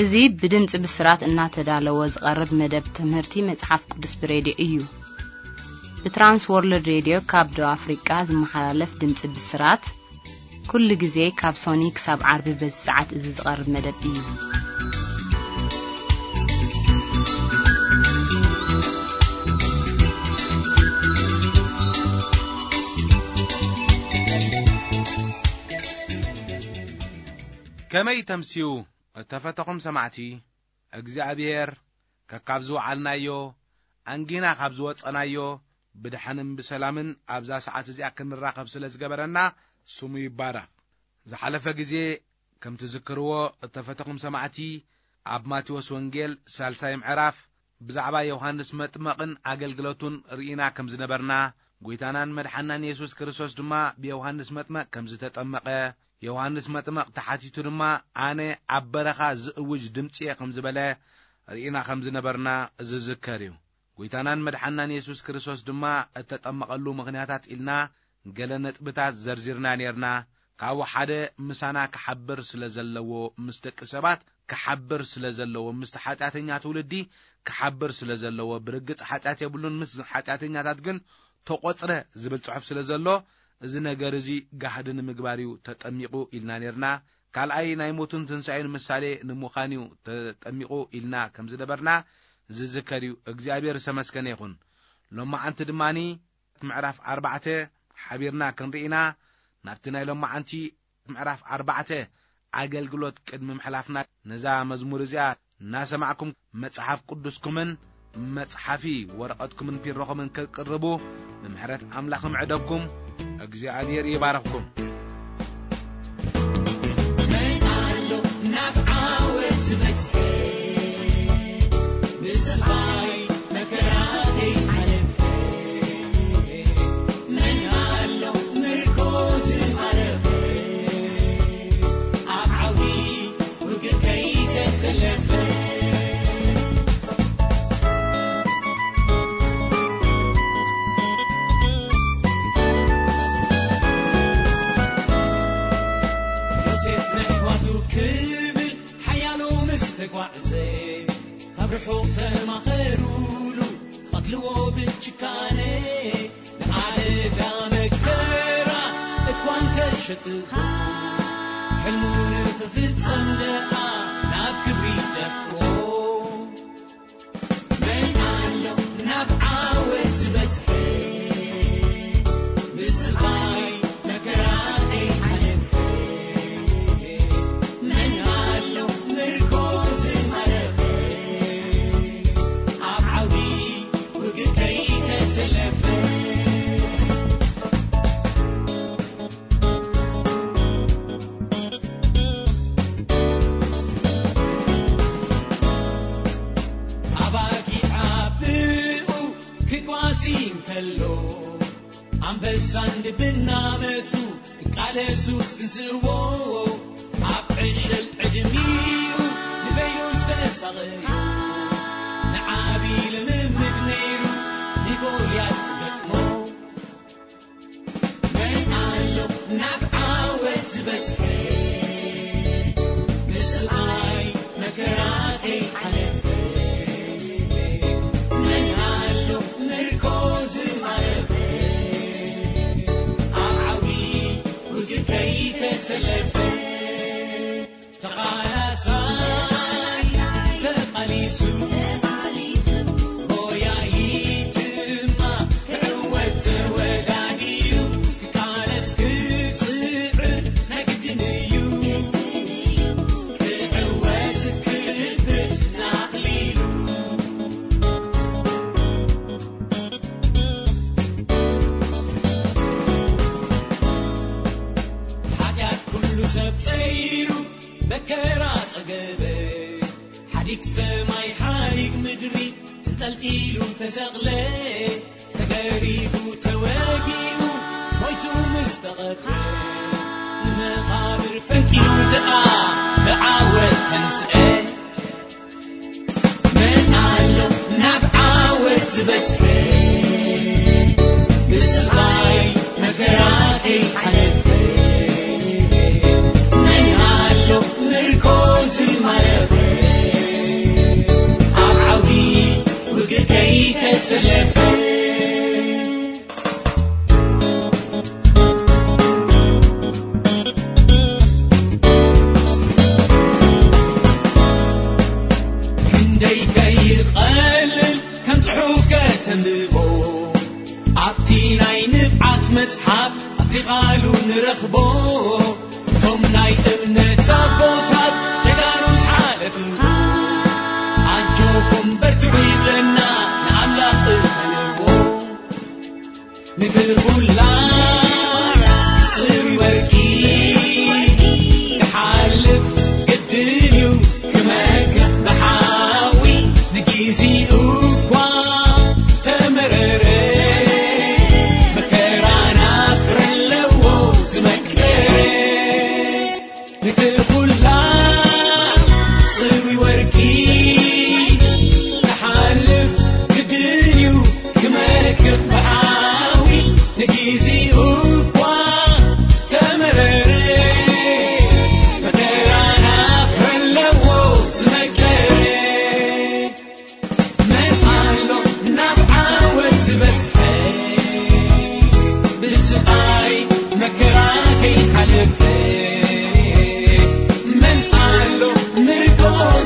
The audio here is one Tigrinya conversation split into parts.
እዚ ብድምፂ ብስራት እናተዳለወ ዝቐርብ መደብ ትምህርቲ መጽሓፍ ቅዱስ ብሬድዮ እዩ። ብትራንስ ወርልድ ሬድዮ ካብ ደቡብ ኣፍሪቃ ዝመሓላለፍ ድምፂ ብስራት፣ ኩሉ ግዜ ካብ ሶኒ ክሳብ ዓርቢ በዚ ሰዓት እዚ ዝቐርብ መደብ እዩ። ከመይ ተምስዩ እተፈተኹም ሰማዕቲ? እግዚኣብሔር ከካብ ዝወዓልናዮ፣ ኣንጊና ካብ ዝወጸናዮ፣ ብድሓንን ብሰላምን ኣብዛ ሰዓት እዚኣ ክንራኸብ ስለ ዝገበረና ስሙ ይባረኽ። ዝሓለፈ ግዜ ከም ትዝክርዎ እተፈተኹም ሰማዕቲ፣ ኣብ ማቴዎስ ወንጌል ሳልሳይ ምዕራፍ ብዛዕባ ዮሃንስ መጥመቕን ኣገልግሎቱን ርኢና ከም ዝነበርና፣ ጐይታናን መድሓናን የሱስ ክርስቶስ ድማ ብዮሃንስ መጥመቕ ከም ዝተጠመቐ፣ ዮሃንስ መጥመቕ ተሓቲቱ ድማ፣ "ኣነ ኣብ በረኻ ዝእውጅ ድምጺ እየ" ከም ዝበለ ርኢና ከም ዝነበርና ዝዝከር እዩ። ጐይታናን መድሓናን የሱስ ክርስቶስ ድማ እተጠመቐሉ ምኽንያታት ኢልና ገለ ነጥብታት ዘርዚርና ኔርና። ካብኡ ሓደ ምሳና ክሓብር ስለ ዘለዎ፣ ምስ ደቂ ሰባት ክሓብር ስለ ዘለዎ፣ ምስቲ ሓጢኣተኛ ትውልዲ ክሓብር ስለ ዘለዎ፣ ብርግጽ ሓጢኣት የብሉን፣ ምስ ሓጢኣተኛታት ግን ተቖጽረ ዝብል ጽሑፍ ስለ ዘሎ፣ እዚ ነገር እዚ ጋህዲ ንምግባር እዩ ተጠሚቑ ኢልና ኔርና። ካልኣይ፣ ናይ ሞቱን ትንሳኤን ምሳሌ ንምዃን እዩ ተጠሚቑ ኢልና ከም ዝነበርና ዝዝከር እዩ። እግዚኣብሔር ዝተመስገነ ይኹን። ሎማዓንቲ ድማኒ ምዕራፍ ኣርባዕተ ሓቢርና ክንርኢ ኢና። ናብቲ ናይ ሎማዓንቲ ምዕራፍ ኣርባዕተ ኣገልግሎት ቅድሚ ምሕላፍና፣ ነዛ መዝሙር እዚኣ እናሰማዕኩም፣ መጽሓፍ ቅዱስኩምን መጽሓፊ ወረቐትኩምን ፒሮኹምን ክትቅርቡ ብምሕረት ኣምላኽ እምዕደኩም። እግዚኣብሔር ይባርኽኩም። መን ኣሎ ናብ ዓወት ዝበጽሐ? ብስቓይ መከራ ከይሓለፈ። መን ኣሎ ምርኮ ዝማረኸ? ኣብ ዓውዲ ውግእ ከይተሰለፈ። ዮሴፍ ነሕዋቱ ክብል ሓያሎ ምስ ተጓዕዘ፣ ካብ ርሑቕ ተማኸሩሉ፣ ክቐትልዎ ብጭካነ። ንኣደዳ መከራ እኳ እንተሸጥዎ፣ ሕልሙ ንኽፍጸም ደኣ ናብ ክብሪ ደፍኦ። መን ኣሎ ናብ ዓወት ዝበጽሐ? ብስቓይ መከራ ከይሓለፈ። መን ኣሎ ምርኮ ዝማረኸ? ኣብ ዓውዲ ውግእ ከይተሰለፈ። ኣባጊዕ ብኡ ክጓሲ እንከሎ፣ ኣንበሳን ድብን እናመጹ ክቃለሱ ክትንስእዎ፣ ኣብ ዕሸል ዕድሚኡ ንበይኑ ዝተሳቐዩ፣ ንዓቢ ልምምድ ነይሩ ንጎልያድ ክገጥሞ። መን ኣሎ ናብ ዓወት ዝበጽሐ? ብስቓይ መከራ ከይሓለፈ። መን ኣሎ ምርኮ ዝማረኸ? ኣብ ዓውዲ ውግእ ከይተሰለፈ። ተቓላሳይ ተቓሊሱ፣ ጎያዪ ድማ ክዕወት ተወዳዲሩ፣ ክቃለስ ክጽዕር ናይ ግድን እዩ፣ ክዕወት ክጭብጥ ናቕሊሉ። ሓጢኣት ኩሉ ሰብ ጸይሩ መከራ ጸገበ። ሓዲግ ሰማይ ሓዲግ ምድሪ ተንጠልጢሉ ተሰቕለ። ተገሪፉ ተወጊኡ ሞይቱ ምስ ተቐብረ፣ ንመቓብር ፈንቂሉ ደኣ ብዓወት ተንስአ። መን ኣሎ ናብ ዓወት ዝበጽሐ? ብስቓይ መከራ ከይሓለፈ። መን ኣሎ ምርኮ ዝማረኸ? ተሰለፈ። ክንደይ ከይቐልል ከም ጽሑፍ ከተንብቦ፣ ኣብቲ ናይ ንብዓት መጽሓፍ ኣብቲ ቓሉ ንረኽቦ። እቶም ናይ እምነት ኣቦታት ጀጋኑ ሓለፍዎ፣ ኣጆኹም በርትዑ ይብለና፣ ንኣምላኽ እመንዎ። ንግር ኩላ ጽሩይ ወርቂ ክሓልፍ ግድን እዩ፣ ክመክኽ ብሓዊ ንጊዜኡ እኳ ተመረረ። መከራና ፍረ ኣለዎ ዝመከረ። ንግር ኩላ ጽሩይ ወርቂ ክሓልፍ ግድን እዩ፣ ክመክኽ ብሓዊ ንጊዜኡ እኳ ተመረረ። መከራና ፍረ ኣለዎ ዝመከረ። መን ኣሎ ናብ ዓወት ዝበጽሐ፣ ብስቓይ መከራ ከይሓለፈ? መን ኣሎ ምርኮ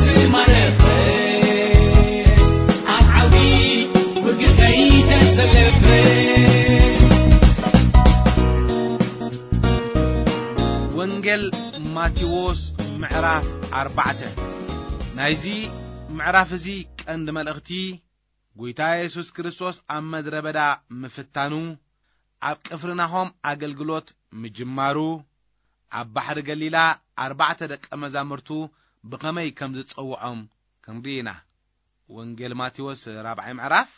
ዝማረኸ፣ ኣብ ዓውዲ ውግእ ከይተሰለፈ? ወንጌል ማቴዎስ ምዕራፍ ኣርባዕተ። ናይዚ ምዕራፍ እዚ ቀንዲ መልእኽቲ፣ ጐይታ የሱስ ክርስቶስ ኣብ ምድረ በዳ ምፍታኑ፣ ኣብ ቅፍርናሆም ኣገልግሎት ምጅማሩ፣ ኣብ ባሕሪ ገሊላ ኣርባዕተ ደቀ መዛሙርቱ ብኸመይ ከም ዝጸውዖም ክንርኢ ኢና። ወንጌል ማቴዎስ ራብዓይ ምዕራፍ፣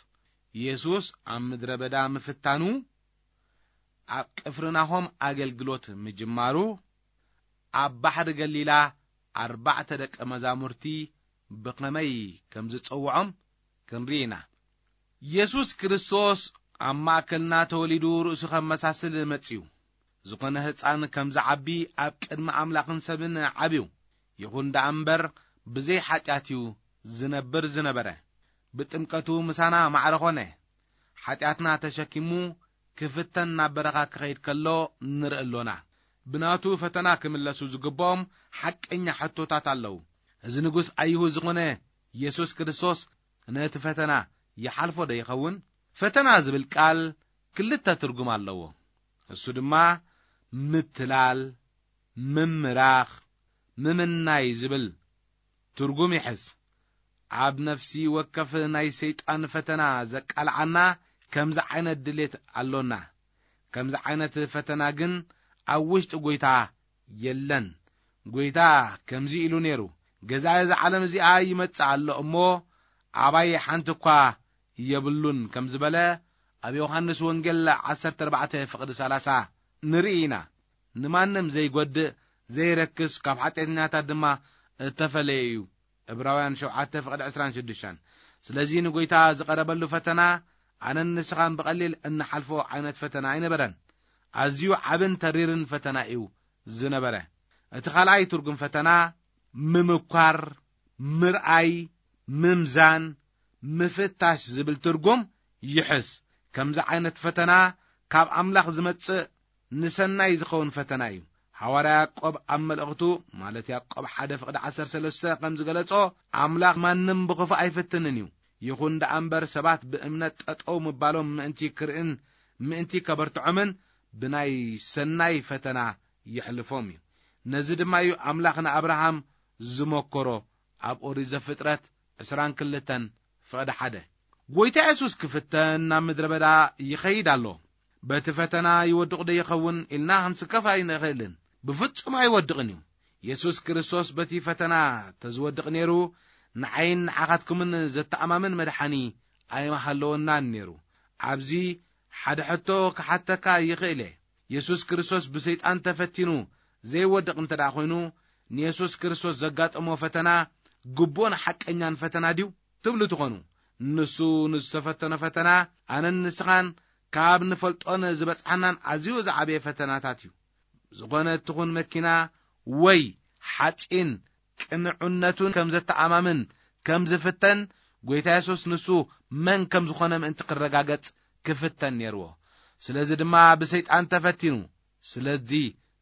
የሱስ ኣብ ምድረ በዳ ምፍታኑ፣ ኣብ ቅፍርናሆም ኣገልግሎት ምጅማሩ፣ ኣብ ባሕሪ ገሊላ ኣርባዕተ ደቀ መዛሙርቲ ብኸመይ ከም ዝጸውዖም ክንርኢ ኢና። የሱስ ክርስቶስ ኣብ ማእከልና ተወሊዱ ርእሱ ከመሳስል መጺኡ። ዝኾነ ህጻን ከም ዝዓቢ ኣብ ቅድሚ ኣምላኽን ሰብን ዓብዩ። ይኹን ደኣ እምበር ብዘይ ሓጢኣት እዩ ዝነብር ዝነበረ። ብጥምቀቱ ምሳና ማዕረ ኾነ። ሓጢኣትና ተሸኪሙ ክፍተን ናብ በረኻ ክኸይድ ከሎ ንርኢ ኣሎና። ብናቱ ፈተና ክምለሱ ዝግብኦም ሓቀኛ ሕቶታት ኣለዉ። እዚ ንጉስ ኣይሁድ ዝኾነ የሱስ ክርስቶስ ነቲ ፈተና ይሓልፎ ዶ ይኸውን? ፈተና ዝብል ቃል ክልተ ትርጉም ኣለዎ። እሱ ድማ ምትላል፣ ምምራኽ፣ ምምናይ ዝብል ትርጉም ይሕዝ። ኣብ ነፍሲ ወከፍ ናይ ሰይጣን ፈተና ዘቃልዓና ከምዚ ዓይነት ድሌት ኣሎና። ከምዚ ዓይነት ፈተና ግን ኣብ ውሽጢ ጐይታ የለን። ጐይታ ከምዚ ኢሉ ነይሩ፣ "ገዛኢ እዛ ዓለም እዚኣ ይመጽእ ኣሎ እሞ፣ ኣባይ ሓንቲ እኳ የብሉን" ከም ዝበለ ኣብ ዮሃንስ ወንጌል ዓሰርተ ኣርባዕተ ፍቕዲ ሰላሳ ንርኢ ኢና። ንማንም ዘይጎድእ፣ ዘይረክስ፣ ካብ ሓጢኣተኛታት ድማ እተፈለየ እዩ። ዕብራውያን ሸውዓተ ፍቕዲ ዕስራን ሽዱሽተን። ስለዚ ንጐይታ ዝቐረበሉ ፈተና ኣነን ንስኻን ብቐሊል እንሓልፎ ዓይነት ፈተና ኣይነበረን። ኣዝዩ ዓብን ተሪርን ፈተና እዩ ዝነበረ። እቲ ካልኣይ ትርጉም ፈተና ምምኳር፣ ምርኣይ፣ ምምዛን፣ ምፍታሽ ዝብል ትርጉም ይሕዝ። ከምዚ ዓይነት ፈተና ካብ ኣምላኽ ዝመጽእ ንሰናይ ዝኸውን ፈተና እዩ። ሃዋርያ ያዕቆብ ኣብ መልእኽቱ፣ ማለት ያዕቆብ ሓደ ፍቕዲ ዓሰርተ ሰለስተ ከም ዝገለጾ፣ ኣምላኽ ማንም ብኽፉእ ኣይፍትንን እዩ። ይኹን ደኣ እምበር ሰባት ብእምነት ጠጠው ምባሎም ምእንቲ ክርእን ምእንቲ ከበርትዖምን ብናይ ሰናይ ፈተና የሕልፎም እዩ። ነዚ ድማ እዩ ኣምላኽ ንኣብርሃም ዝመከሮ ኣብ ኦሪት ዘፍጥረት ዕስራን ክልተን ፍቕዲ ሓደ። ጐይታ የሱስ ክፍተን ናብ ምድረ በዳ ይኸይድ ኣሎ። በቲ ፈተና ይወድቕ ዶ ይኸውን ኢልና ክንስከፍ ኣይንኽእልን። ብፍጹም ኣይወድቕን እዩ። የሱስ ክርስቶስ በቲ ፈተና ተዝወድቕ ነይሩ፣ ንዓይን ንዓኻትኩምን ዘተኣማምን መድሓኒ ኣይምሃለወናን ነይሩ። ኣብዚ ሓደ ሕቶ ክሓተካ ይኽእል እየ። የሱስ ክርስቶስ ብሰይጣን ተፈቲኑ ዘይወድቕ እንተ ደኣ ኾይኑ፣ ንየሱስ ክርስቶስ ዘጋጠሞ ፈተና ግቡእን ሓቀኛን ፈተና ድዩ ትብሉ ትኾኑ። ንሱ ንዝተፈተኖ ፈተና ኣነን ንስኻን ካብ ንፈልጦን ዝበጽሓናን ኣዝዩ ዝዓበየ ፈተናታት እዩ። ዝኾነ ትኹን መኪና ወይ ሓጺን ቅንዕነቱን ከም ዘተኣማምን ከም ዝፍተን፣ ጐይታ የሱስ ንሱ መን ከም ዝኾነ ምእንቲ ክረጋገጽ ክፍተን ነይርዎ። ስለዚ ድማ ብሰይጣን ተፈቲኑ። ስለዚ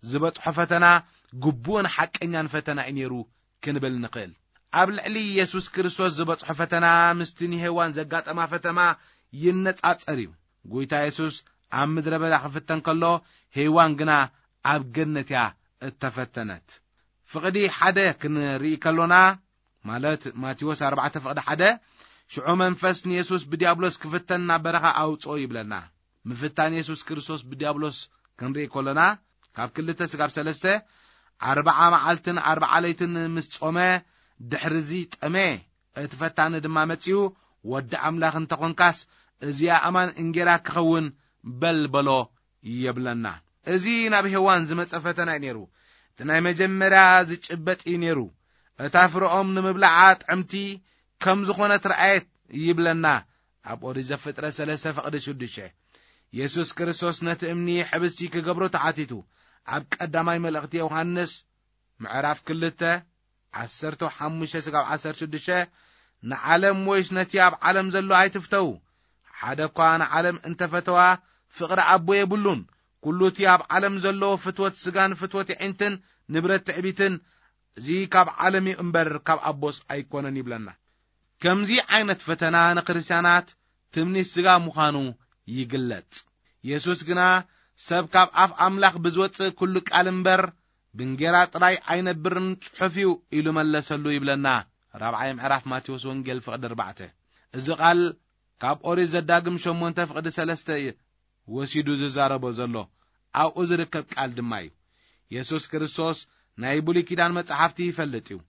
ዝበጽሖ ፈተና ግቡእን ሓቀኛን ፈተና እዩ ነይሩ ክንብል ንኽእል። ኣብ ልዕሊ የሱስ ክርስቶስ ዝበጽሖ ፈተና ምስቲ ንሄዋን ዘጋጠማ ፈተና ይነጻጸር እዩ። ጎይታ የሱስ ኣብ ምድረ በዳ ክፍተን ከሎ፣ ሄዋን ግና ኣብ ገነት እያ እተፈተነት። ፍቕዲ ሓደ ክንርኢ ከሎና፣ ማለት ማቴዎስ ኣርባዕተ ፍቕዲ ሓደ፣ ሽዑ መንፈስ ንየሱስ ብዲያብሎስ ክፍተን ናብ በረኻ ኣውጽኦ ይብለና። ምፍታን የሱስ ክርስቶስ ብዲያብሎስ ክንርኢ ከሎና፣ ካብ ክልተ ስጋብ ሰለስተ፣ ኣርብዓ መዓልትን ኣርብዓ ለይትን ምስ ጾመ፣ ድሕርዚ ጠመ። እቲ ፈታኒ ድማ መጺኡ፣ "ወዲ ኣምላኽ እንተኾንካስ፣ እዚኣ ኣማን እንጌራ ክኸውን በል" በሎ ይብለና። እዚ ናብ ሄዋን ዝመጸ ፈተና እዩ ነይሩ። እቲ ናይ መጀመርያ ዝጭበጥ እዩ ነይሩ። እታ ፍረኦም ንምብላዓ ጥዕምቲ ከም ዝኾነት ረኣየት ይብለና ኣብ ኦሪት ዘፍጥረት ሰለስተ ፍቕዲ ሽዱሽተ። የሱስ ክርስቶስ ነቲ እምኒ ሕብስቲ ክገብሮ ተሓቲቱ። ኣብ ቀዳማይ መልእኽቲ ዮሃንስ ምዕራፍ ክልተ ዓሰርተ ሓሙሽተ ስጋብ ዓሰርተ ሽዱሽተ፣ "ንዓለም ወይስ ነቲ ኣብ ዓለም ዘሎ ኣይትፍተው። ሓደ እኳ ንዓለም እንተፈተዋ፣ ፍቕሪ ኣቦ የብሉን። ኩሉ እቲ ኣብ ዓለም ዘሎ ፍትወት ስጋን ፍትወት የዒንትን ንብረት ትዕቢትን፣ እዚ ካብ ዓለም እዩ እምበር ካብ ኣቦስ ኣይኮነን" ይብለና። ከምዚ ዓይነት ፈተና ንክርስትያናት ትምኒት ስጋ ምዃኑ ይግለጽ። የሱስ ግና፣ "ሰብ ካብ ኣፍ ኣምላኽ ብዝወጽእ ኩሉ ቃል እምበር ብእንጌራ ጥራይ ኣይነብርን ጽሑፍ እዩ" ኢሉ መለሰሉ ይብለና። ራብዓይ ምዕራፍ ማቴዎስ ወንጌል ፍቕዲ ኣርባዕተ። እዚ ቃል ካብ ኦሪት ዘዳግም ሸሞንተ ፍቕዲ ሰለስተ ወሲዱ ዝዛረቦ ዘሎ ኣብኡ ዝርከብ ቃል ድማ እዩ። የሱስ ክርስቶስ ናይ ብሉይ ኪዳን መጻሕፍቲ ይፈልጥ እዩ።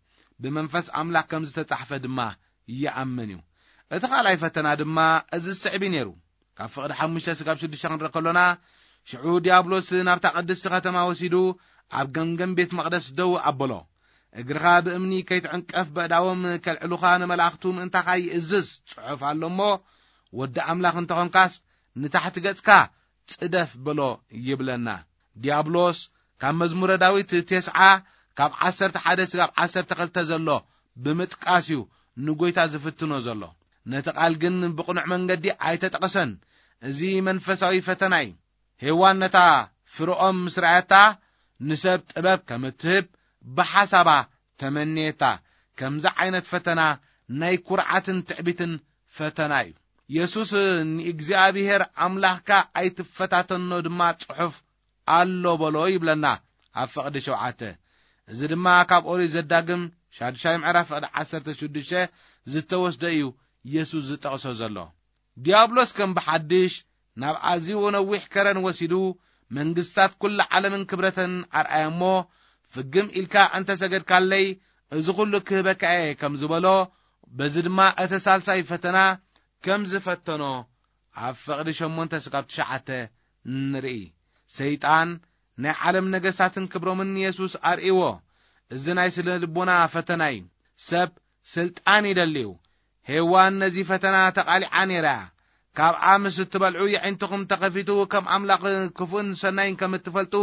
ብመንፈስ ኣምላኽ ከም ዝተጻሕፈ ድማ ይኣምን እዩ። እቲ ካልኣይ ፈተና ድማ እዚ ዝስዕብ እዩ ነይሩ። ካብ ፍቕዲ ሓሙሽተ ስጋብ ሽዱሽተ ክንርኢ ከሎና፣ ሽዑ ዲያብሎስ ናብታ ቅድስቲ ከተማ ወሲዱ ኣብ ገምገም ቤት መቕደስ ደው ኣበሎ። "እግርኻ ብእምኒ ከይትዕንቀፍ በእዳዎም ከልዕሉኻ ንመላእኽቱ ምእንታኻ ይእዝዝ ጽሑፍ ኣሎ እሞ፣ ወዲ ኣምላኽ እንተኾንካስ ንታሕቲ ገጽካ ጽደፍ" በሎ ይብለና። ዲያብሎስ ካብ መዝሙረ ዳዊት ተስዓ ካብ ዓሰርተ ሓደ ስጋብ ዓሰርተ ክልተ ዘሎ ብምጥቃስ እዩ ንጎይታ ዝፍትኖ ዘሎ። ነቲ ቃል ግን ብቕኑዕ መንገዲ ኣይተጠቕሰን። እዚ መንፈሳዊ ፈተና እዩ። ሄዋን ነታ ፍርኦም ምስ ረኣየታ፣ ንሰብ ጥበብ ከም እትህብ ብሓሳባ ተመንየታ። ከምዚ ዓይነት ፈተና ናይ ኩርዓትን ትዕቢትን ፈተና እዩ። የሱስ፣ "ንእግዚኣብሔር ኣምላኽካ ኣይትፈታተኖ ድማ ጽሑፍ ኣሎ" በሎ ይብለና ኣብ ፍቕዲ ሸውዓተ። እዚ ድማ ካብ ኦሪት ዘዳግም ሻድሻይ ምዕራፍ ፍቕዲ ዓሰርተ ሽዱሽተ ዝተወስደ እዩ የሱስ ዝጠቕሶ ዘሎ። ዲያብሎስ ከም ብሓድሽ ናብ ኣዝዩ ነዊሕ ከረን ወሲዱ፣ መንግስታት ኩላ ዓለምን ክብረተን ኣርኣያ እሞ፣ "ፍግም ኢልካ እንተ ሰገድካለይ፣ እዚ ኹሉ ክህበካ እየ" ከም ዝበሎ፣ በዚ ድማ እቲ ሳልሳይ ፈተና ከም ዝፈተኖ ኣብ ፍቕዲ ሸሞንተ ስጋብ ትሽዓተ ንርኢ። ሰይጣን ናይ ዓለም ነገስታትን ክብሮምን ንየሱስ ኣርእይዎ። እዚ ናይ ስነ ልቦና ፈተና እዩ። ሰብ ስልጣን ይደልዩ። ሄዋን ነዚ ፈተና ተቓሊዓ ነይራ። "ካብኣ ምስ እትበልዑ የዒንትኹም ተኸፊቱ፣ ከም ኣምላኽ ክፉእን ሰናይን ከም እትፈልጡ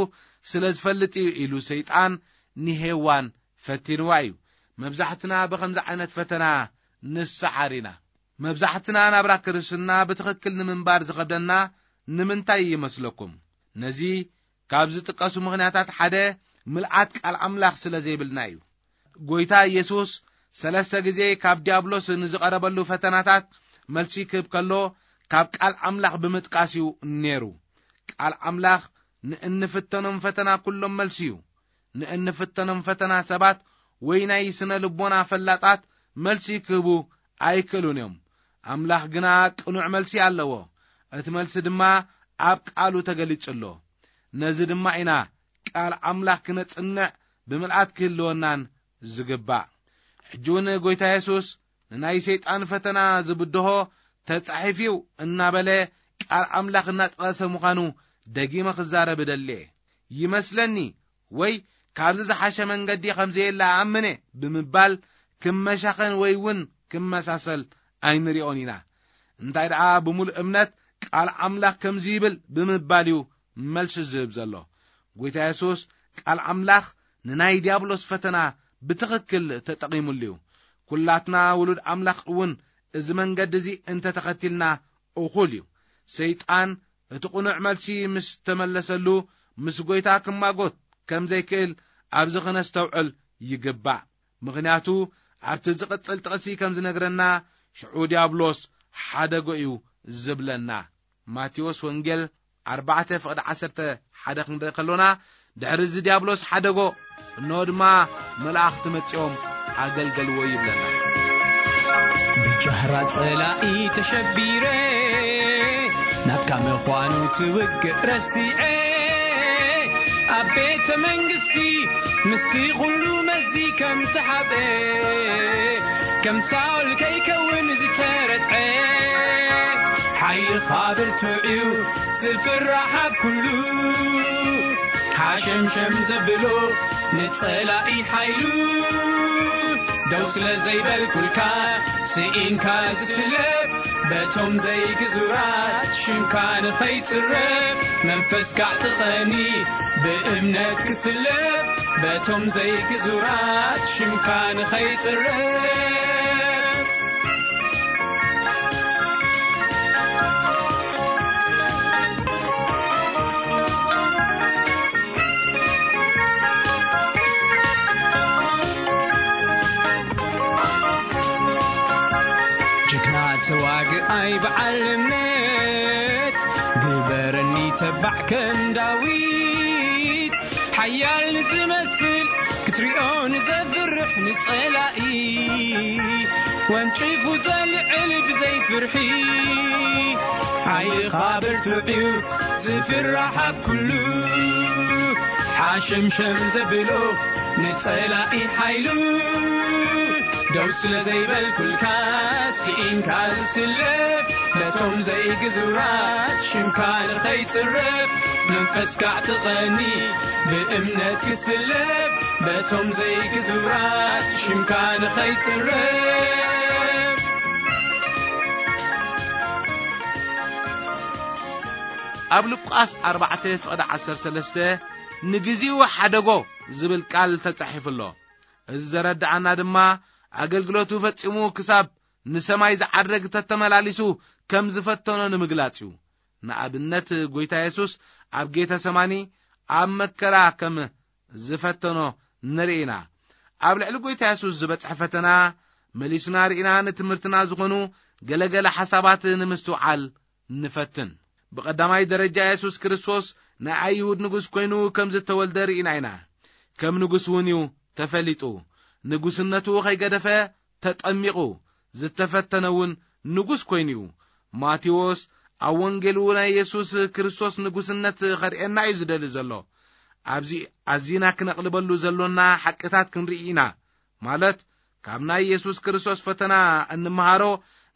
ስለ ዝፈልጥ እዩ" ኢሉ ሰይጣን ንሄዋን ፈቲንዋ እዩ። መብዛሕትና ብኸምዚ ዓይነት ፈተና ንሰዓር ኢና። መብዛሕትና ናብራ ክርስትና ብትኽክል ንምንባር ዝኸብደና ንምንታይ ይመስለኩም? ነዚ ካብ ዝጥቀሱ ምኽንያታት ሓደ ምልኣት ቃል ኣምላኽ ስለ ዘይብልና እዩ። ጎይታ ኢየሱስ ሰለስተ ግዜ ካብ ዲያብሎስ ንዝቐረበሉ ፈተናታት መልሲ ክህብ ከሎ ካብ ቃል ኣምላኽ ብምጥቃስ እዩ ነይሩ። ቃል ኣምላኽ ንእንፍተኖም ፈተና ኩሎም መልሲ እዩ። ንእንፍተኖም ፈተና ሰባት ወይ ናይ ስነ ልቦና ፈላጣት መልሲ ክህቡ ኣይክእሉን እዮም። ኣምላኽ ግና ቅኑዕ መልሲ ኣለዎ። እቲ መልሲ ድማ ኣብ ቃሉ ተገሊጹ ኣሎ። ነዚ ድማ ኢና ቃል ኣምላኽ ክነጽንዕ ብምልኣት ክህልወናን ዝግባእ። ሕጂ እውን ጎይታ የሱስ ንናይ ሰይጣን ፈተና ዝብድሆ ተጻሒፍዩ እናበለ ቃል ኣምላኽ እናጠቐሰ ምዃኑ ደጊመ ክዛረብ እደሊ እየ። ይመስለኒ ወይ ካብዚ ዝሓሸ መንገዲ ከም ዘየለ እኣምን እየ ብምባል ክመሻኸን ወይ እውን ክመሳሰል ኣይንሪኦን ኢና። እንታይ ደኣ ብምሉእ እምነት ቃል ኣምላኽ ከምዚ ይብል ብምባል እዩ መልሲ ዝህብ ዘሎ። ጎይታ የሱስ ቃል ኣምላኽ ንናይ ዲያብሎስ ፈተና ብትኽክል ተጠቒሙሉ እዩ። ኩላትና ውሉድ ኣምላኽ እውን እዚ መንገዲ እዚ እንተተኸቲልና እኹል እዩ። ሰይጣን እቲ ቅኑዕ መልሲ ምስ ተመለሰሉ፣ ምስ ጐይታ ክማጎት ከም ዘይክእል ኣብዚ ክነስተውዕል ይግባእ። ምኽንያቱ ኣብቲ ዝቕጽል ጥቕሲ ከም ዝነግረና፣ ሽዑ ዲያብሎስ ሓደጎ እዩ ዝብለና። ማቴዎስ ወንጌል ኣርባዕተ ፍቕዲ ዓሰርተ ሓደ ክንርኢ ከሎና፣ ድሕሪ እዚ ዲያብሎስ ሓደጎ፣ እንሆ ድማ መላእኽቲ መጺኦም ኣገልገልዎ ይብለና። ብጃህራ ጸላኢ ተሸቢረ፣ ናትካ ምዃኑ ትውግእ ረሲዐ፣ ኣብ ቤተ መንግስቲ ምስቲ ኩሉ መዚ ከም ተሓብአ፣ ከም ሳውል ከይከውን ዝተረትዐ፣ ሓይልኻ ብርቱዕ እዩ ዝፍራሕ ኣብ ኩሉ፣ ሓሸምሸም ዘብሎ ንጸላኢ ሓይሉ፣ ደው ስለ ዘይበልኩልካ ስኢንካ ዝስለፍ፣ በቶም ዘይግዙራት ሽምካ ንኸይጽረፍ፣ መንፈስካ ኣዕጥቐኒ ብእምነት ክስለፍ፣ በቶም ዘይግዙራት ሽምካ ንኸይጽረፍ። ጅግና ተዋግኣይ በዓል እምነት፣ ግበረኒ ተባዕ ከም ዳዊት። ሓያል ንዝመስል ክትሪኦ ንዘፍርሕ ንጸላኢ፣ ወንጭፉ ዘልዕል ብዘይ ፍርሒ። ሓይልኻ ብርቱዕ እዩ ዝፍራሕ ኣብ ኩሉ፣ ሓሸምሸም ዘብሎ ንጸላኢ ሓይሉ፣ ደው ስለ ዘይበልኩልካ ስኢንካ ዝስለፍ፣ ነቶም ዘይግዙራት ሽምካ ንኸይጽረፍ፣ መንፈስካ ኣዕጥቐኒ ብእምነት ክስለፍ፣ በቶም ዘይግዙራት ሽምካ ንኸይጽረፍ። ኣብ ሉቃስ ኣርባዕተ ፍቕዲ ዓሰርተ ሰለስተ፣ "ንግዚኡ ሓደጎ" ዝብል ቃል ተጻሒፉ ኣሎ። እዚ ዘረድኣና ድማ፣ ኣገልግሎቱ ፈጺሙ ክሳብ ንሰማይ ዝዓርግ ተተመላሊሱ ከም ዝፈተኖ ንምግላጽ እዩ። ንኣብነት፣ ጐይታ የሱስ ኣብ ጌተሰማኒ ኣብ መከራ ከም ዝፈተኖ ንርኢ ኢና። ኣብ ልዕሊ ጐይታ የሱስ ዝበጽሐ ፈተና መሊስና ርኢና፣ ንትምህርትና ዝኾኑ ገለገለ ሓሳባት ንምስትውዓል ንፈትን። ብቐዳማይ ደረጃ፣ የሱስ ክርስቶስ ናይ ኣይሁድ ንጉስ ኮይኑ ከም ዝተወልደ ርኢና ኢና። ከም ንጉስ እውን እዩ ተፈሊጡ። ንጉስነቱ ከይገደፈ ተጠሚቑ፣ ዝተፈተነ እውን ንጉስ ኮይኑ እዩ። ማቴዎስ ኣብ ወንጌሉ ናይ የሱስ ክርስቶስ ንጉስነት ከርእየና እዩ ዝደሊ ዘሎ። ኣብዚ ኣዚና ክነቕልበሉ ዘሎና ሓቅታት ክንርኢ ኢና። ማለት፣ ካብ ናይ የሱስ ክርስቶስ ፈተና እንመሃሮ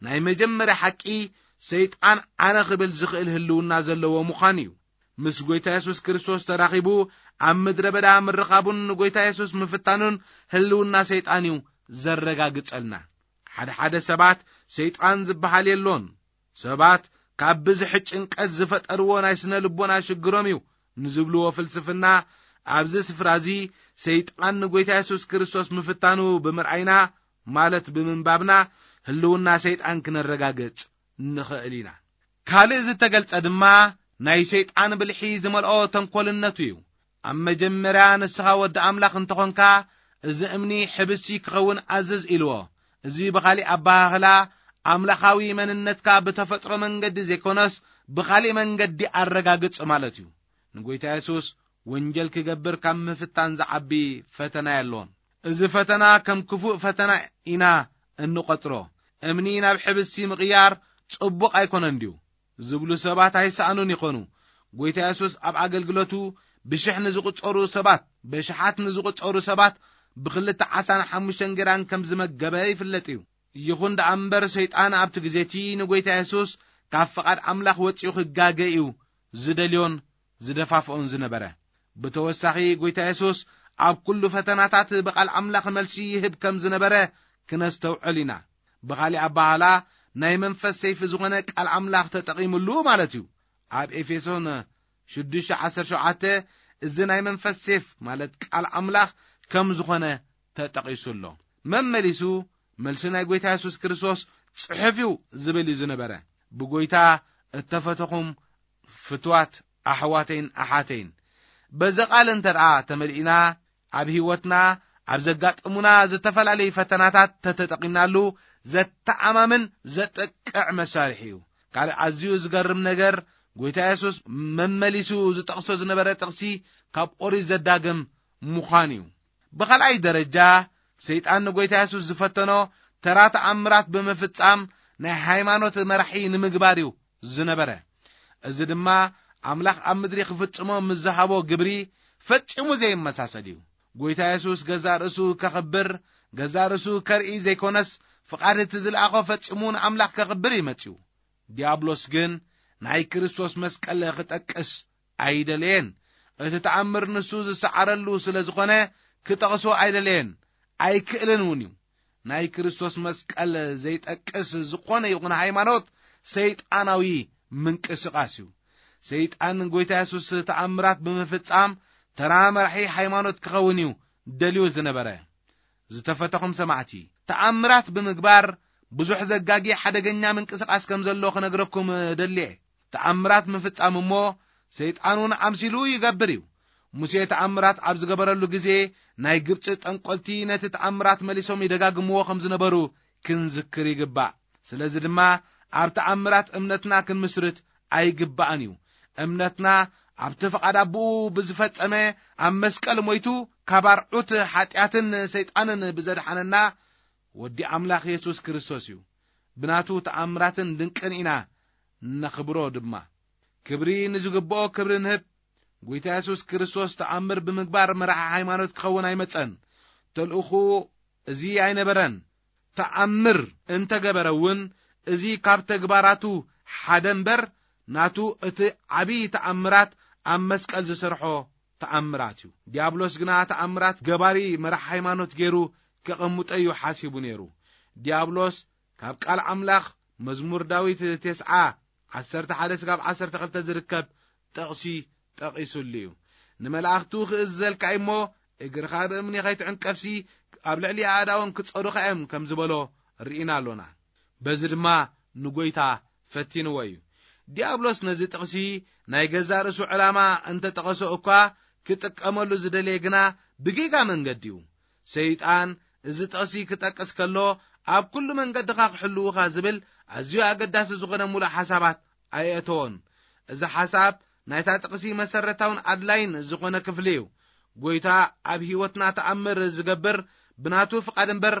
ናይ መጀመርያ ሓቂ፣ ሰይጣን ኣነ ክብል ዝኽእል ህልውና ዘለዎ ምዃን እዩ። ምስ ጐይታ የሱስ ክርስቶስ ተራኺቡ ኣብ ምድረ በዳ ምርኻቡን ንጐይታ የሱስ ምፍታኑን ህልውና ሰይጣን እዩ ዘረጋግጸልና። ሓደ ሓደ ሰባት ሰይጣን ዝበሃል የሎን፣ ሰባት ካብ ብዝሒ ጭንቀት ዝፈጠርዎ ናይ ስነ ልቦና ሽግሮም እዩ ንዝብልዎ ፍልስፍና፣ ኣብዚ ስፍራ እዚ ሰይጣን ንጐይታ የሱስ ክርስቶስ ምፍታኑ ብምርኣይና፣ ማለት ብምንባብና፣ ህልውና ሰይጣን ክነረጋግጽ ንኽእል ኢና። ካልእ ዝተገልጸ ድማ ናይ ሰይጣን ብልሒ ዝመልኦ ተንኮልነቱ እዩ። ኣብ መጀመርያ ንስኻ ወዲ ኣምላኽ እንተኾንካ፣ እዚ እምኒ ሕብስቲ ክኸውን ኣዝዝ ኢልዎ። እዚ ብኻሊእ ኣበሃህላ፣ ኣምላኻዊ መንነትካ ብተፈጥሮ መንገዲ ዘይኮነስ፣ ብኻሊእ መንገዲ ኣረጋግጽ ማለት እዩ። ንጐይታ የሱስ ወንጀል ክገብር ካብ ምፍታን ዝዓቢ ፈተና የሎን። እዚ ፈተና ከም ክፉእ ፈተና ኢና እንቖጽሮ። እምኒ ናብ ሕብስቲ ምቕያር ጽቡቕ ኣይኮነን ድዩ? ዝብሉ ሰባት ኣይሰኣኑን ይኾኑ። ጐይታ የሱስ ኣብ ኣገልግሎቱ ብሽሕ ንዝቑጸሩ ሰባት፣ ብሽሓት ንዝቑጸሩ ሰባት ብኽልተ ዓሳን ሓሙሽተ እንጌራን ከም ዝመገበ ይፍለጥ እዩ። ይኹን ደኣ እምበር፣ ሰይጣን ኣብቲ ግዜ እቲ ንጐይታ የሱስ ካብ ፍቓድ ኣምላኽ ወጺኡ ክጋገ እዩ ዝደልዮን ዝደፋፍኦን ዝነበረ። ብተወሳኺ፣ ጐይታ የሱስ ኣብ ኩሉ ፈተናታት ብቓል ኣምላኽ መልሲ ይህብ ከም ዝነበረ ክነስተውዕል ኢና። ብኻሊእ ኣበሃህላ፣ ናይ መንፈስ ሰይፊ ዝኾነ ቃል ኣምላኽ ተጠቒሙሉ ማለት እዩ። ኣብ ኤፌሶን ሽዱሽተ ዓሰርተ ሸውዓተ፣ እዚ ናይ መንፈስ ሴፍ ማለት ቃል ኣምላኽ ከም ዝኾነ ተጠቒሱ ኣሎ። መመሊሱ፣ መልሲ ናይ ጐይታ የሱስ ክርስቶስ ጽሑፍ እዩ ዝብል እዩ ዝነበረ። ብጎይታ እተፈተኹም ፍትዋት ኣሕዋተይን ኣሓተይን፣ በዚ ቃል እንተ ደኣ ተመሊእና፣ ኣብ ህይወትና ኣብ ዘጋጥሙና ዝተፈላለዩ ፈተናታት ተተጠቒምናሉ፣ ዘተኣማምን ዘጥቅዕ መሳርሒ እዩ። ካልእ ኣዝዩ ዝገርም ነገር፣ ጎይታ የሱስ መመሊሱ ዝጠቕሶ ዝነበረ ጥቕሲ ካብ ኦሪት ዘዳግም ምዃን እዩ። ብኻልኣይ ደረጃ፣ ሰይጣን ንጎይታ የሱስ ዝፈተኖ ተራ ተኣምራት ብምፍጻም ናይ ሃይማኖት መራሒ ንምግባር እዩ ዝነበረ። እዚ ድማ ኣምላኽ ኣብ ምድሪ ክፍጽሞ ምስ ዝሃቦ ግብሪ ፈጺሙ ዘይመሳሰል እዩ። ጎይታ የሱስ ገዛእ ርእሱ ከኽብር፣ ገዛእ ርእሱ ከርኢ ዘይኮነስ፣ ፍቓድ እቲ ዝለኣኾ ፈጺሙ ንኣምላኽ ከኽብር እዩ መጺኡ። ዲያብሎስ ግን ናይ ክርስቶስ መስቀል ክጠቅስ ኣይደለየን። እቲ ተኣምር ንሱ ዝሰዓረሉ ስለ ዝኾነ ክጠቕሶ ኣይደለየን፣ ኣይክእልን እውን እዩ። ናይ ክርስቶስ መስቀል ዘይጠቅስ ዝኾነ ይኹን ሃይማኖት ሰይጣናዊ ምንቅስቓስ እዩ። ሰይጣን ጎይታ የሱስ ተኣምራት ብምፍጻም ተራ መራሒ ሃይማኖት ክኸውን እዩ ደልዩ ዝነበረ። ዝተፈተኹም ሰማዕቲ፣ ተኣምራት ብምግባር ብዙሕ ዘጋጊ ሓደገኛ ምንቅስቓስ ከም ዘሎ ክነግረኩም ደልየ። ተኣምራት ምፍጻም እሞ ሰይጣን እውን ኣምሲሉ ይገብር እዩ። ሙሴ ተኣምራት ኣብ ዝገበረሉ ግዜ ናይ ግብጺ ጠንቆልቲ ነቲ ተኣምራት መሊሶም ይደጋግምዎ ከም ዝነበሩ ክንዝክር ይግባእ። ስለዚ ድማ ኣብ ተኣምራት እምነትና ክንምስርት ኣይግባእን እዩ። እምነትና ኣብቲ ፍቓድ ኣቦኡ ብዝፈጸመ ኣብ መስቀል ሞይቱ ካብ ኣርዑት ሓጢኣትን ሰይጣንን ብዘድሓነና ወዲ ኣምላኽ የሱስ ክርስቶስ እዩ። ብናቱ ተኣምራትን ድንቅን ኢና ነኽብሮ ድማ። ክብሪ ንዝግብኦ ክብሪ ንህብ። ጎይታ የሱስ ክርስቶስ ተኣምር ብምግባር መራሒ ሃይማኖት ክኸውን ኣይመጸን። ተልእኹ እዚ ኣይነበረን። ተኣምር እንተገበረ እውን፣ እዚ ካብ ተግባራቱ ሓደ እምበር፣ ናቱ እቲ ዓብዪ ተኣምራት ኣብ መስቀል ዝሰርሖ ተኣምራት እዩ። ዲያብሎስ ግና ተኣምራት ገባሪ መራሕ ሃይማኖት ገይሩ ከቐምጦ እዩ ሓሲቡ ነይሩ። ዲያብሎስ ካብ ቃል ኣምላኽ፣ መዝሙር ዳዊት ተስዓ፣ ዓሰርተ ሓደ ስጋብ ዓሰርተ ክልተ ዝርከብ ጥቕሲ ጠቒሱሉ እዩ። ንመላእኽቱ ክእዝዘልካ እሞ፣ እግርኻ ብእምኒ ኸይትዕንቀፍሲ፣ ኣብ ልዕሊ ኣእዳዎም ክጸሩኻ እዮም ከም ዝበሎ ርኢና ኣሎና። በዚ ድማ ንጎይታ ፈቲንዎ እዩ። ዲያብሎስ ነዚ ጥቕሲ ናይ ገዛእ ርእሱ ዕላማ እንተ ጠቐሶ እኳ፣ ክጥቀመሉ ዝደለየ ግና ብጌጋ መንገዲ እዩ። ሰይጣን እዚ ጥቕሲ ክጠቅስ ከሎ፣ ኣብ ኩሉ መንገድኻ ክሕልዉኻ ዝብል ኣዝዩ ኣገዳሲ ዝኾነ ሙሉእ ሓሳባት ኣየእተዎን። እዚ ሓሳብ ናይታ ጥቕሲ መሰረታውን ኣድላይን ዝኾነ ክፍሊ እዩ። ጎይታ ኣብ ህይወትና ተኣምር ዝገብር ብናቱ ፍቓድ እምበር፣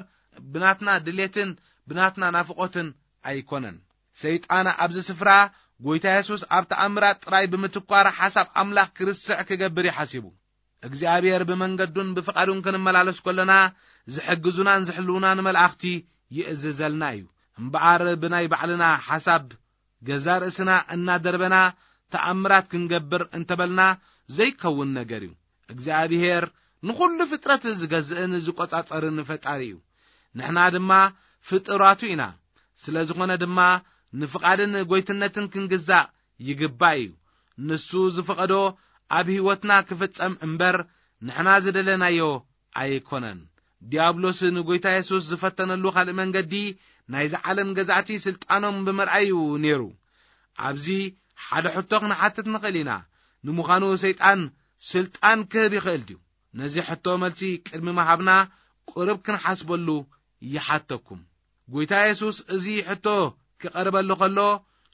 ብናትና ድሌትን ብናትና ናፍቖትን ኣይኮነን። ሰይጣን ኣብዚ ስፍራ፣ ጎይታ የሱስ ኣብ ተኣምራት ጥራይ ብምትኳር ሓሳብ ኣምላኽ ክርስዕ ክገብር እዩ ሓሲቡ። እግዚኣብሔር ብመንገዱን ብፍቓዱን ክንመላለስ ከሎና፣ ዝሕግዙናን ዝሕልዉናን መላእኽቲ ይእዝዘልና እዩ። እምበኣር ብናይ ባዕልና ሓሳብ ገዛእ ርእስና እናደርበና ተኣምራት ክንገብር እንተበልና ዘይከውን ነገር እዩ። እግዚኣብሔር ንኹሉ ፍጥረት ዝገዝእን ዝቆጻጸርን ፈጣሪ እዩ። ንሕና ድማ ፍጡራቱ ኢና። ስለ ዝኾነ ድማ ንፍቓድን ጎይትነትን ክንግዛእ ይግባእ እዩ። ንሱ ዝፈቐዶ ኣብ ህይወትና ክፍጸም እምበር ንሕና ዝደለናዮ ኣይኮነን። ዲያብሎስ ንጎይታ የሱስ ዝፈተነሉ ካልእ መንገዲ ናይዚ ዓለም ገዛእቲ ስልጣኖም ብምርኣይ እዩ ነይሩ። ኣብዚ ሓደ ሕቶ ክንሓትት ንኽእል ኢና። ንምዃኑ ሰይጣን ስልጣን ክህብ ይኽእል ድዩ? ነዚ ሕቶ መልሲ ቅድሚ ምሃብና ቁሩብ ክንሓስበሉ ይሓተኩም። ጎይታ የሱስ እዚ ሕቶ ክቐርበሉ ከሎ፣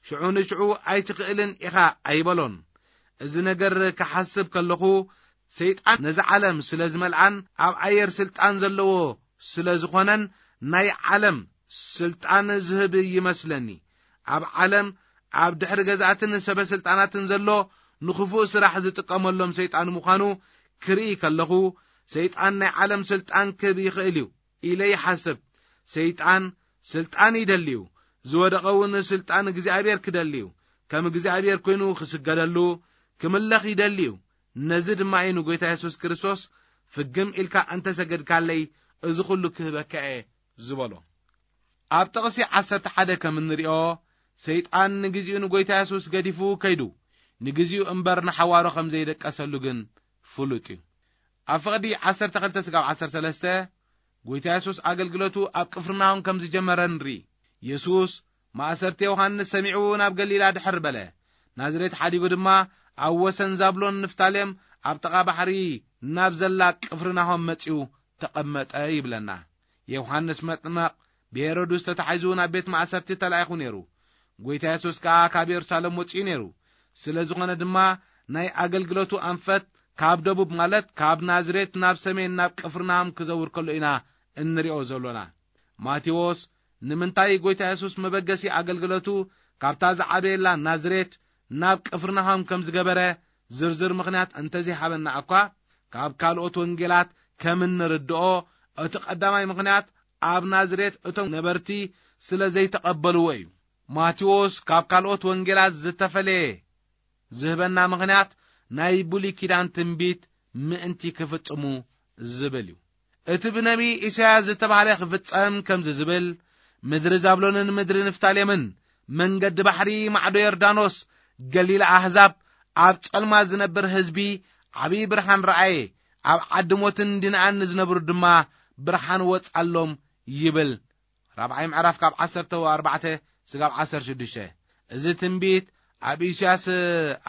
ሽዑ ንሽዑ ኣይትኽእልን ኢኻ ኣይበሎን። እዚ ነገር ክሓስብ ከለኹ፣ ሰይጣን ነዚ ዓለም ስለ ዝመልኣን ኣብ ኣየር ስልጣን ዘለዎ ስለ ዝኾነን፣ ናይ ዓለም ስልጣን ዝህብ ይመስለኒ። ኣብ ዓለም ኣብ ድሕሪ ገዛእትን ሰበ ስልጣናትን ዘሎ ንኽፉእ ስራሕ ዝጥቀመሎም ሰይጣን ምዃኑ ክርኢ ከለኹ፣ ሰይጣን ናይ ዓለም ስልጣን ክህብ ይኽእል እዩ ኢለ ይሓስብ። ሰይጣን ስልጣን ይደሊ እዩ። ዝወደቐ እውን ስልጣን እግዚኣብሔር ክደሊ እዩ። ከም እግዚኣብሔር ኮይኑ ክስገደሉ፣ ክምለኽ ይደሊ እዩ። ነዚ ድማ እዩ ንጎይታ የሱስ ክርስቶስ፣ "ፍግም ኢልካ እንተ ሰገድካለይ፣ እዚ ኹሉ ክህበካ እየ" ዝበሎ። ኣብ ጥቕሲ ዓሰርተ ሓደ ከም እንሪኦ፣ ሰይጣን ንግዚኡ ንጎይታ የሱስ ገዲፉ ከይዱ፣ ንግዚኡ እምበር ንሓዋሩ ከም ዘይደቀሰሉ ግን ፍሉጥ እዩ። ኣብ ፍቕዲ ዓሰርተ ክልተ ስጋብ ዓሰርተ ሰለስተ፣ ጎይታ የሱስ ኣገልግሎቱ ኣብ ቅፍርናሆም ከም ዝጀመረ ንርኢ። የሱስ ማእሰርቲ ዮሃንስ ሰሚዑ ናብ ገሊላ ድሕር በለ። ናዝሬት ሓዲጉ ድማ ኣብ ወሰን ዛብሎን ንፍታሌም ኣብ ጥቓ ባሕሪ ናብ ዘላ ቅፍርናሆም መጺኡ ተቐመጠ ይብለና። ዮሃንስ መጥመቕ ብሄሮድስ ተታሒዙ ናብ ቤት ማእሰርቲ ተላኢኹ ነይሩ። ጎይታ የሱስ ከኣ ካብ የሩሳሌም ወጺኡ ነይሩ። ስለ ዝኾነ ድማ ናይ ኣገልግሎቱ ኣንፈት ካብ ደቡብ ማለት ካብ ናዝሬት ናብ ሰሜን ናብ ቅፍርናሆም ክዘውር ከሎ ኢና እንሪኦ ዘሎና። ማቴዎስ ንምንታይ ጎይታ የሱስ መበገሲ ኣገልግሎቱ ካብታ ዝዓበየላ ናዝሬት ናብ ቅፍርናሆም ከም ዝገበረ ዝርዝር ምኽንያት እንተዘይሃበና እኳ፣ ካብ ካልኦት ወንጌላት ከም እንርድኦ እቲ ቀዳማይ ምኽንያት ኣብ ናዝሬት እቶም ነበርቲ ስለ ዘይተቐበልዎ እዩ። ማቴዎስ ካብ ካልኦት ወንጌላት ዝተፈለየ ዝህበና ምኽንያት ናይ ብሉይ ኪዳን ትንቢት ምእንቲ ክፍጽሙ ዝብል እዩ። እቲ ብነቢይ ኢሳያስ ዝተባህለ ክፍጸም ከምዚ ዝብል፣ ምድሪ ዛብሎንን ምድሪ ንፍታሌምን፣ መንገዲ ባሕሪ፣ ማዕዶ ዮርዳኖስ፣ ገሊላ ኣህዛብ፣ ኣብ ጸልማ ዝነብር ህዝቢ ዓብዪ ብርሃን ረኣየ፣ ኣብ ዓዲ ሞትን ድንኣን ንዝነብሩ ድማ ብርሃን ወጻሎም ይብል። ራብዓይ ምዕራፍ ካብ ዓሰርተ ኣርባዕተ ስጋብ ዓሰርተ ሽዱሽተ። እዚ ትንቢት ኣብ ኢሳያስ፣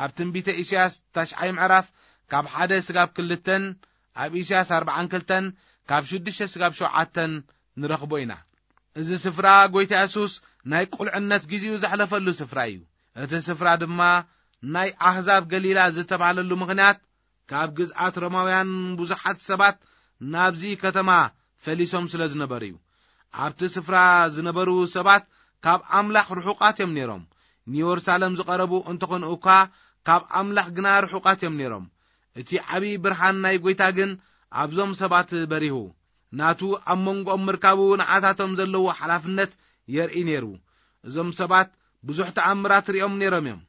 ኣብ ትንቢተ ኢሳያስ ታሽዓይ ምዕራፍ ካብ ሓደ ስጋብ ክልተን፣ ኣብ ኢሳያስ ኣርባዓን ክልተን ካብ ሽዱሽተ ስጋብ ሸውዓተን ንረኽቦ ኢና። እዚ ስፍራ ጎይታ የሱስ ናይ ቁልዕነት ግዜኡ ዘሕለፈሉ ስፍራ እዩ። እቲ ስፍራ ድማ ናይ ኣህዛብ ገሊላ ዝተባህለሉ ምኽንያት ካብ ግዝኣት ሮማውያን ብዙሓት ሰባት ናብዚ ከተማ ፈሊሶም ስለ ዝነበሩ እዩ። ኣብቲ ስፍራ ዝነበሩ ሰባት ካብ ኣምላኽ ርሑቓት እዮም ነይሮም። ንየሩሳሌም ዝቐረቡ እንተኾኑ እኳ ካብ ኣምላኽ ግና ርሑቓት እዮም ነይሮም። እቲ ዓቢ ብርሃን ናይ ጎይታ ግን ኣብዞም ሰባት በሪሁ። ናቱ ኣብ መንጎኦም ምርካቡ ንዓታቶም ዘለዎ ሓላፍነት የርኢ ነይሩ። እዞም ሰባት ብዙሕ ተኣምራት ሪኦም ነይሮም እዮም።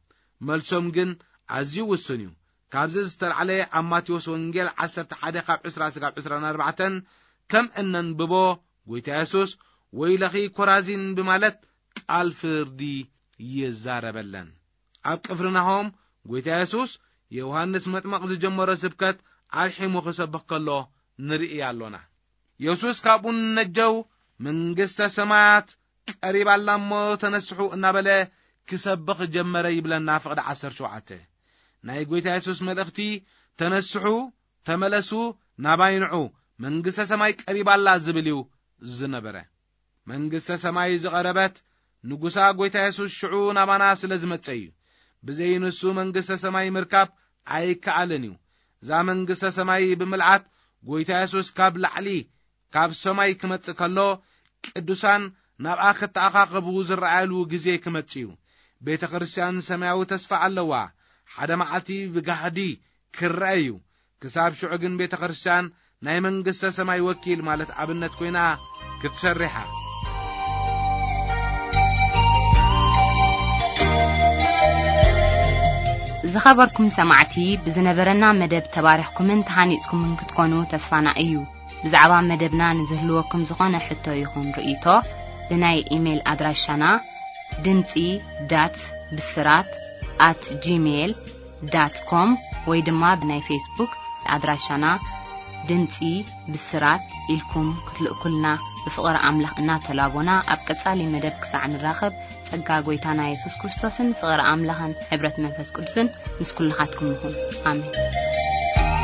መልሶም ግን ኣዝዩ ውሱን እዩ። ካብዚ ዝተላዕለ ኣብ ማቴዎስ ወንጌል ዓሰርተ ሓደ ካብ ዕስራ ስጋብ ዕስራን ኣርባዕተን ከም እነንብቦ፣ ጎይታ የሱስ "ወይለኺ ኮራዚን" ብማለት ቃል ፍርዲ ይዛረበለን። ኣብ ቅፍርናሆም ጎይታ የሱስ ዮሃንስ መጥመቕ ዝጀመሮ ስብከት ኣልሒሙ ክሰብኽ ከሎ ንርኢ ኣሎና። የሱስ ካብኡ ንነጀው "መንግስተ ሰማያት ቀሪባ ኣላ እሞ ተነስሑ" እናበለ ክሰብኽ ጀመረ ይብለና ፍቕዲ ዓሰርተ ሸውዓተ። ናይ ጎይታ የሱስ መልእኽቲ "ተነስሑ፣ ተመለሱ፣ ናባይ ንዑ፣ መንግስተ ሰማይ ቀሪባ ኣላ" ዝብል እዩ ዝነበረ። መንግስተ ሰማይ ዝቐረበት ንጉሳ ጎይታ የሱስ ሽዑ ናባና ስለ ዝመጸ እዩ። ብዘይ ንሱ መንግስተ ሰማይ ምርካብ ኣይከኣልን እዩ። እዛ መንግስተ ሰማይ ብምልኣት ጎይታ የሱስ ካብ ላዕሊ ካብ ሰማይ ክመጽእ ከሎ ቅዱሳን ናብኣ ክተኣኻኸቡ ዝረኣየሉ ግዜ ክመጽእ እዩ። ቤተ ክርስቲያን ሰማያዊ ተስፋ ኣለዋ። ሓደ መዓልቲ ብጋህዲ ክረአ እዩ። ክሳብ ሽዑ ግን ቤተ ክርስቲያን ናይ መንግስተ ሰማይ ወኪል ማለት ኣብነት ኮይና ክትሰርሕ እያ። ዝኸበርኩም ሰማዕቲ፣ ብዝነበረና መደብ ተባሪኽኩምን ተሃኒጽኩምን ክትኮኑ ተስፋና እዩ። ብዛዕባ መደብና ንዝህልወኩም ዝኾነ ሕቶ ይኹን ርእይቶ፣ ብናይ ኢሜይል ኣድራሻና ድምጺ ዳት ብስራት ኣት ጂሜይል ዳት ኮም ወይ ድማ ብናይ ፌስቡክ ኣድራሻና ድምጺ ብስራት ኢልኩም ክትልእኩልና ብፍቕሪ ኣምላኽ እናተላቦና፣ ኣብ ቀጻሊ መደብ ክሳዕ ንራኸብ፣ ጸጋ ጎይታና የሱስ ክርስቶስን ፍቕሪ ኣምላኽን ሕብረት መንፈስ ቅዱስን ምስ ኩልኻትኩም ይኹን። ኣሜን።